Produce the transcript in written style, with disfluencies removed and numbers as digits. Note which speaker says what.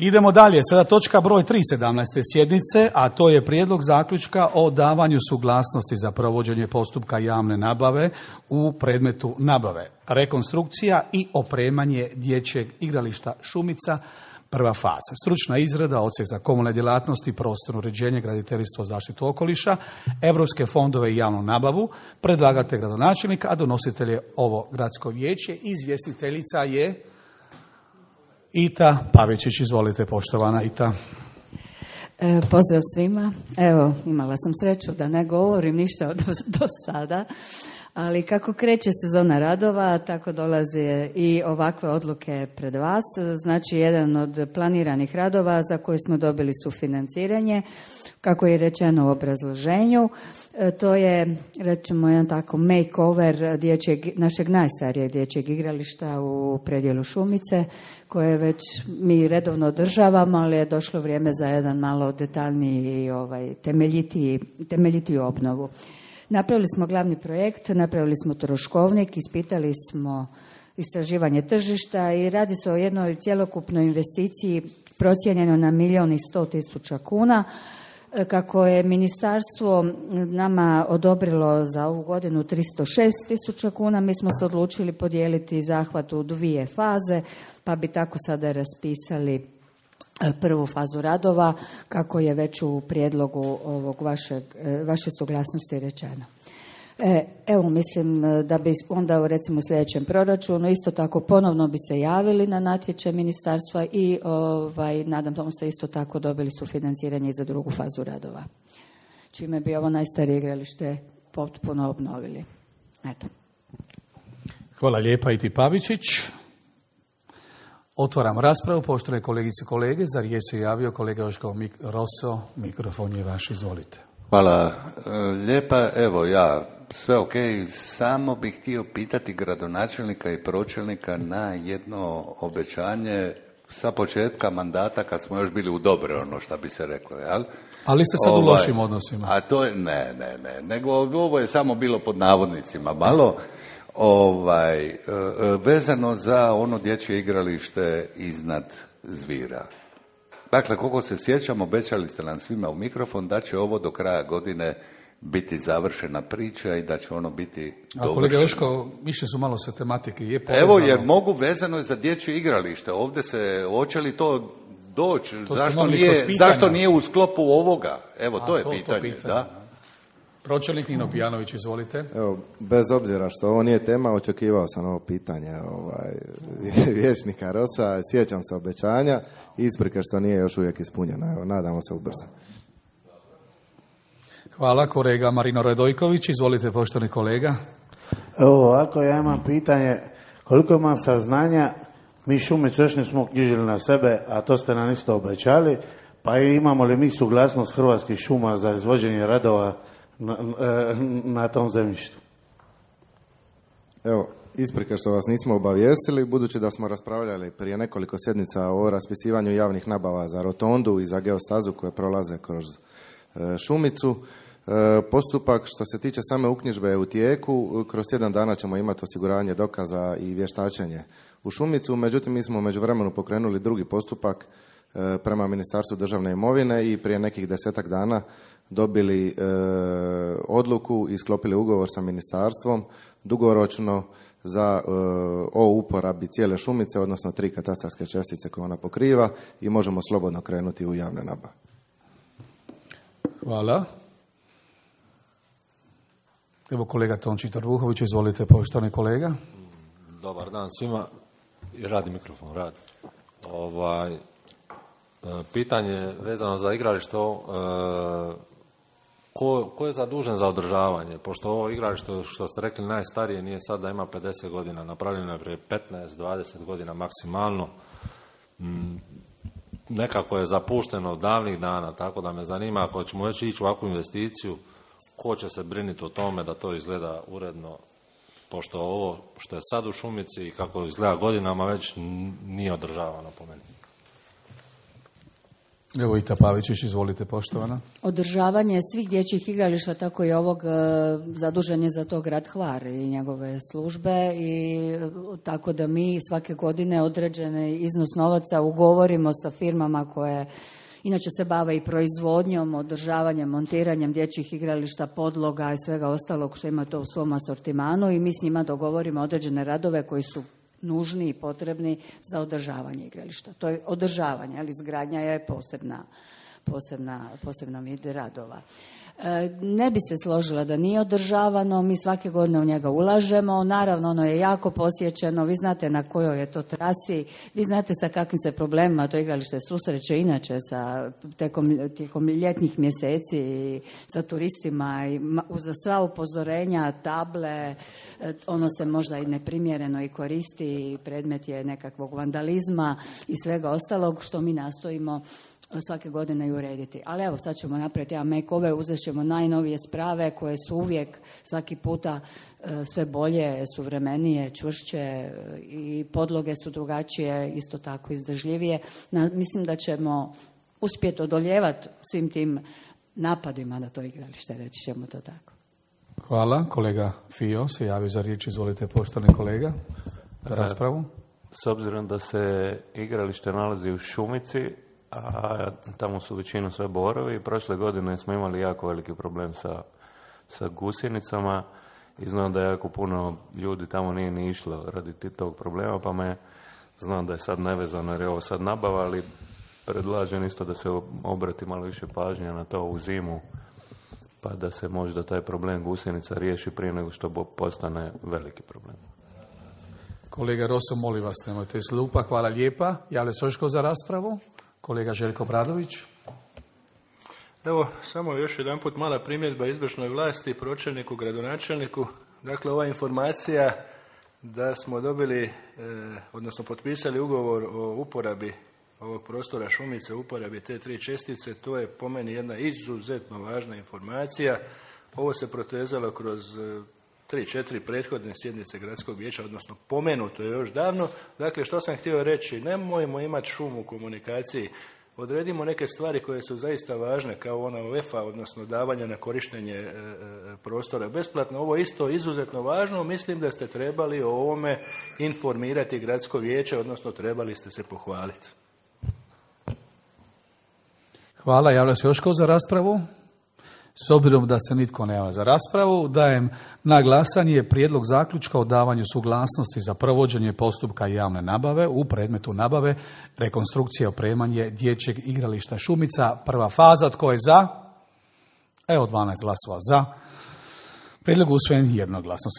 Speaker 1: Idemo dalje. Sada točka broj 3 17. sjednice, a to je prijedlog zaključka o davanju suglasnosti za provođenje postupka javne nabave u predmetu nabave, rekonstrukcija i opremanje dječjeg igrališta Šumica, prva faza. Stručna izrada, odsjek za komunalne djelatnosti, prostorno uređenje, graditeljstvo, zaštitu okoliša, europske fondove i javnu nabavu, predlagatelj gradonačelnik, a donositelj je ovo gradsko vijeće. Izvjestiteljica je Ita Pavičić. Izvolite, poštovana Ita.
Speaker 2: Pozdrav svima. Evo, imala sam sreću da ne govorim ništa do sada, ali kako kreće sezona radova, tako dolaze i ovakve odluke pred vas. Znači, jedan od planiranih radova za koje smo dobili sufinanciranje, kako je rečeno u obrazloženju, to je, rećemo, jedan tako makeover našeg najstarijeg dječjeg igrališta u predjelu Šumice, koje već mi redovno održavamo, ali je došlo vrijeme za jedan malo detaljniji i temeljitiju obnovu. Napravili smo glavni projekt, napravili smo troškovnik, ispitali smo istraživanje tržišta i radi se o jednoj cjelokupnoj investiciji procijenjeno na 1.100.000 kuna. Kako je ministarstvo nama odobrilo za ovu godinu 306.000 kuna, mi smo se odlučili podijeliti zahvat u 2 faze, pa bi tako sada raspisali prvu fazu radova, kako je već u prijedlogu ovog vaše suglasnosti rečeno. Evo, mislim da bi onda recimo u sljedećem proračunu isto tako ponovno bi se javili na natječaj ministarstva i nadam se isto tako dobili sufinanciranje za drugu fazu radova, čime bi ovo najstarije igralište potpuno obnovili. Eto.
Speaker 1: Hvala lijepa Iti Pavičić. Otvaram raspravu. Poštovane kolegice i kolege, za riječ se javio kolega Joško Roso. Mikrofon je vaš, izvolite.
Speaker 3: Hvala lijepa. Evo, sve ok, samo bih htio pitati gradonačelnika i pročelnika na jedno obećanje sa početka mandata kad smo još bili u dobre, ono što bi se reklo, jel?
Speaker 1: Ali ste sad u lošim odnosima.
Speaker 3: A to je, ne, nego ovo je samo bilo pod navodnicima malo, vezano za ono dječje igralište iznad Zvira. Dakle, koliko se sjećam, obećali ste nam svima u mikrofon da će ovo do kraja godine biti završena priča i da će ono biti dovršeno. A kolega
Speaker 1: Joško, više su malo sa tematike.
Speaker 3: Evo, jer mogu, vezano je za dječje igralište. Ovdje se, hoće li to doći? Zašto nije u sklopu ovoga? Evo, to je pitanje. Da?
Speaker 1: Pročelnik Nino Pijanović, izvolite.
Speaker 4: Evo, bez obzira što ovo nije tema, očekivao sam ovo pitanje vijećnika Rosa. Sjećam se obećanja i isprike što nije još uvijek ispunjeno. Evo, nadamo se ubrzo.
Speaker 1: Hvala, kolega Marino Radojković. Izvolite, poštovani kolega.
Speaker 5: Evo ovako, ja imam pitanje. Koliko imam saznanja, mi Šumicu još nismo knjižili na sebe, a to ste nam isto obećali, pa imamo li mi suglasnost Hrvatskih šuma za izvođenje radova na tom zemljištu?
Speaker 4: Evo, isprike što vas nismo obavijestili, budući da smo raspravljali prije nekoliko sjednica o raspisivanju javnih nabava za rotondu i za geostazu koje prolaze kroz Šumicu. Postupak što se tiče same uknjižbe je u tijeku. Kroz tjedan dana ćemo imati osiguranje dokaza i vještačenje u Šumicu. Međutim, mi smo u međuvremenu pokrenuli drugi postupak prema Ministarstvu državne imovine i prije nekih 10-ak dana dobili odluku i sklopili ugovor sa ministarstvom dugoročno o uporabi cijele Šumice, odnosno 3 katastarske čestice koje ona pokriva i možemo slobodno krenuti u javne nabave.
Speaker 1: Hvala. Evo kolega Tonči Vuhović, izvolite, poštovani kolega.
Speaker 6: Dobar dan svima. Radi mikrofon, radi. Pitanje vezano za igralište, ko je zadužen za održavanje? Pošto ovo igralište, što ste rekli, najstarije, nije sad da ima 50 godina, napravljeno je prije 15-20 godina maksimalno. Nekako je zapušteno od davnih dana, tako da me zanima, ako ćemo već ići u ovakvu investiciju, ko će se brinuti o tome da to izgleda uredno, pošto ovo što je sad u Šumici i kako izgleda godinama već nije održavano po meni.
Speaker 1: Evo Ita Pavičić, izvolite poštovana.
Speaker 2: Održavanje svih dječjih igrališta, tako i ovog, zadužen je za to grad Hvar i njegove službe, i tako da mi svake godine određeni iznos novaca ugovorimo sa firmama koje inače se bave i proizvodnjom, održavanjem, montiranjem dječjih igrališta, podloga i svega ostalog što ima to u svom asortimanu, i mi s njima dogovorimo određene radove koji su nužni i potrebni za održavanje igrališta. To je održavanje, ali izgradnja je posebna vid radova. Ne bi se složila da nije održavano, mi svake godine u njega ulažemo, naravno ono je jako posjećeno, vi znate na kojoj je to trasi, vi znate sa kakvim se problemima to igralište susreće inače tijekom ljetnih mjeseci i sa turistima, i za sva upozorenja, table, ono se možda i neprimjereno i koristi, i predmet je nekakvog vandalizma i svega ostalog što mi nastojimo svake godine i urediti. Ali evo, sad ćemo napraviti jedan makeover, uzet ćemo najnovije sprave koje su uvijek, svaki puta sve bolje, suvremenije, čvršće, i podloge su drugačije, isto tako izdržljivije. Mislim da ćemo uspjeti odoljevati svim tim napadima na to igralište, reći ćemo to tako.
Speaker 1: Hvala. Kolega Fio se javio za riječ, izvolite poštovani kolega, za raspravu.
Speaker 7: S obzirom da se igralište nalazi u šumici, a tamo su većinom sve borovi, prošle godine smo imali jako veliki problem sa gusjenicama i znam da jako puno ljudi tamo nije ni išlo radi tog problema, pa me znam da je sad nevezano jer je ovo sad nabava, ali predlažem isto da se obrati malo više pažnje na to u zimu, pa da se možda taj problem gusjenica riješi prije nego što postane veliki problem.
Speaker 1: Kolega Roso, molim vas, nemojte slupa. Hvala lijepa. Javlja se još tko za raspravu? Kolega Željko Bradović.
Speaker 8: Evo, samo još jedan put mala primjedba izvršnoj vlasti, pročelniku, gradonačelniku. Dakle, ova informacija da smo dobili, odnosno potpisali ugovor o uporabi ovog prostora Šumice, uporabi te 3 čestice, to je po meni jedna izuzetno važna informacija. Ovo se protezalo kroz 3-4 prethodne sjednice gradskog vijeća, odnosno pomenuto je još davno. Dakle, što sam htio reći, nemojmo imati šum u komunikaciji, odredimo neke stvari koje su zaista važne, kao ona UEFA, odnosno davanja na korištenje prostora besplatno. Ovo je isto izuzetno važno, mislim da ste trebali o ovome informirati gradsko vijeće, odnosno trebali ste se pohvaliti.
Speaker 1: Hvala, javlja se još tko za raspravu? S obzirom da se nitko ne javlja za raspravu, dajem na glasanje prijedlog zaključka o davanju suglasnosti za provođenje postupka javne nabave u predmetu nabave rekonstrukcije i opremanje dječjeg igrališta Šumica. Prva faza, tko je za? Evo 12 glasova za. Prijedlog usvojen jednoglasno.